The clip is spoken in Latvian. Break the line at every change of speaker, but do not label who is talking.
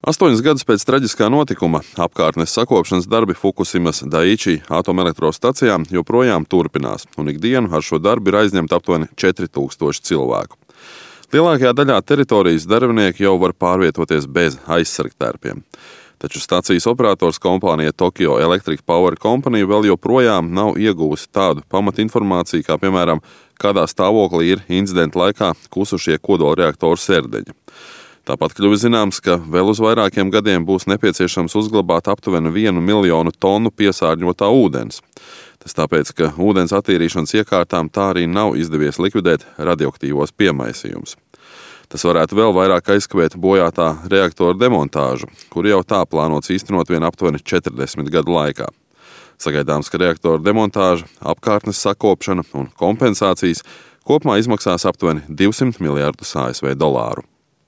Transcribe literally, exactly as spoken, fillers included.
Astoņus gadus pēc traģiskā notikuma apkārtnes sakopšanas darbi Fukusimas Daiichi atomelektrostacijā joprojām turpinās, un ikdienu ar šo darbu ir aizņemta aptuveni četri tūkstoši cilvēku. Lielākajā daļā teritorijas darbinieki jau var pārvietoties bez aizsargtērpiem. Taču stacijas operators kompānija Tokyo Electric Power Company vēl joprojām nav ieguvusi tādu pamatinformāciju, kā piemēram, kādā stāvoklī ir incidenta laikā kusušie kodolreaktoru sērdeņi. Tāpat kļuvis zināms, ka vēl uz vairākiem gadiem būs nepieciešams uzglabāt aptuveni vienu miljonu tonu piesārņotā ūdens. Tas tāpēc, ka ūdens attīrīšanas iekārtām tā arī nav izdevies likvidēt radioaktīvos piemaisījumus. Tas varētu vēl vairāk aizkavēt bojātā reaktora demontāžu, kur jau tā plānots īstenot vien aptuveni četrdesmit gadu laikā. Sagaidāms, ka reaktora demontāža, apkārtnes sakopšana un kompensācijas kopumā izmaksās aptuveni divsimt miljardus A S V dolāru.